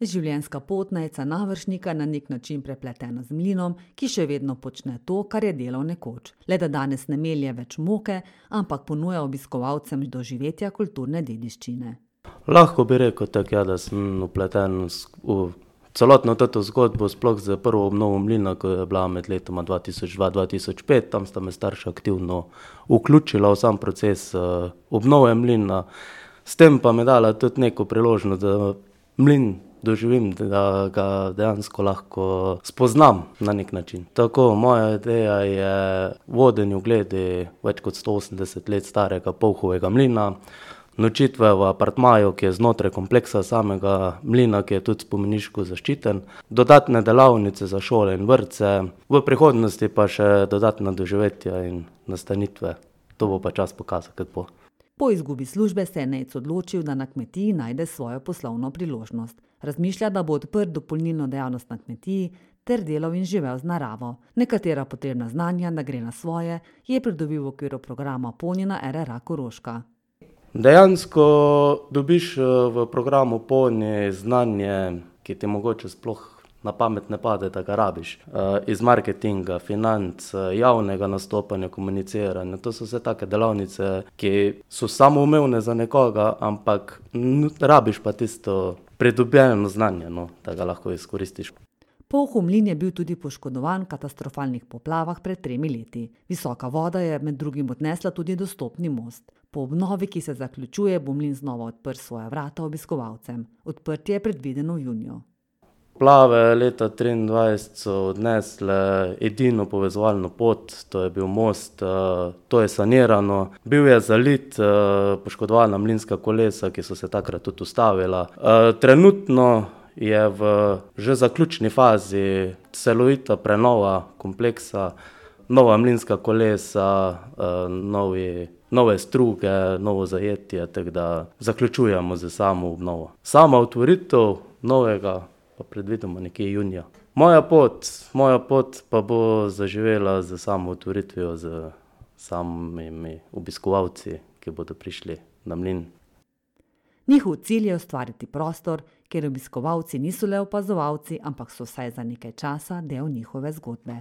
Življenjska pot Nejca Navršnika na nek način prepletena z mlinom, ki še vedno počne to, kar je delal nekoč. Le da danes ne melje več moke, ampak ponuja obiskovalcem doživetja kulturne dediščine. Lahko bi rekel tako, ja, da sem vpleten v celotno to zgodbo, sploh za prvo obnovo mlina, ko je bila med letoma 2002-2005. Tam sta me starša aktivno vključila v sam proces obnove mlina. S tem pa me dala tudi neko priložnost, da mlin doživim, da ga dejansko lahko spoznam na nek način. Tako, moja ideja je vodenje v glede več kot 180 let starega Pouhovega mlina, nočitve v apartmaju, ki je znotraj kompleksa samega mlina, ki je tudi spomeniško zaščiten, dodatne delavnice za šole in vrtce, v prihodnosti pa še dodatna doživetja in nastanitve. To bo pa čas pokazal, kako bo. Po izgubi službe se je Nejc odločil, da na kmetiji najde svojo poslovno priložnost. Razmišlja, da bo odprl dopolnilno dejavnost na kmetiji ter delal in živel z naravo. Nekatera potrebna znanja, da gre na svoje, je pridobil v okviru programa Poni na RRA Koroška. Dejansko dobiš v programu Poni znanje, ki ti mogoče sploh na pamet ne pade, da ga rabiš. Iz marketinga, financ, javnega nastopanja, komuniciranja. To so vse take delavnice, ki so samoumevne za nekoga, ampak rabiš pa tisto pridobljeno znanje, da ga lahko izkoristiš. Pouhov mlin je bil tudi poškodovan v katastrofalnih poplavah pred 3 leti. Visoka voda je med drugim odnesla tudi dostopni most. Po obnovi, ki se zaključuje, bo mlin znova odprl svoja vrata obiskovalcem. Odprtje je predvideno v juniju. Poplave leta 2023 so odnesle edino povezovalno pot, to je bil most, to je sanirano. Bil je zalit, poškodovana mlinska kolesa, ki so se takrat tudi ustavila. Trenutno je v že zaključni fazi celovita prenova kompleksa, nova mlinska kolesa, nove struge, novo zajetje, tako da zaključujemo z samo obnovo. Sama otvoritev novega pa predvidimo nekje junija. Moja pot pa bo zaživela z samo otvoritvijo, z samimi obiskovalci, ki bodo prišli na mlin. Njihov cilj je ustvariti prostor, kjer obiskovalci niso le opazovalci, ampak so vsaj za nekaj časa del njihove zgodbe.